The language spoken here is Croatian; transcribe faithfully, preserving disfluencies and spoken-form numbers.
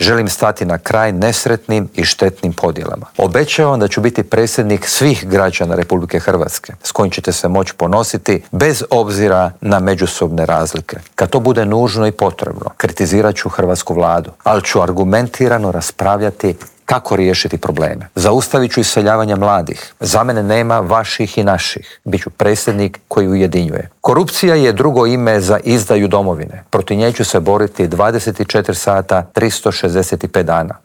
Želim stati na kraj nesretnim i štetnim podjelama. Obećavam da ću biti predsjednik svih građana Republike Hrvatske s kojim ćete se moći ponositi bez obzira na međusobne razlike. Kad to bude nužno i potrebno, kritizirat ću hrvatsku vladu, ali ću argumentirano raspravljati kako riješiti probleme. Zaustavit ću iseljavanje mladih. Za mene nema vaših i naših. Biću predsjednik koji ujedinjuje. Korupcija je drugo ime za izdaju domovine. Protiv nje ću se boriti dvadeset četiri sata, tristo šezdeset pet dana.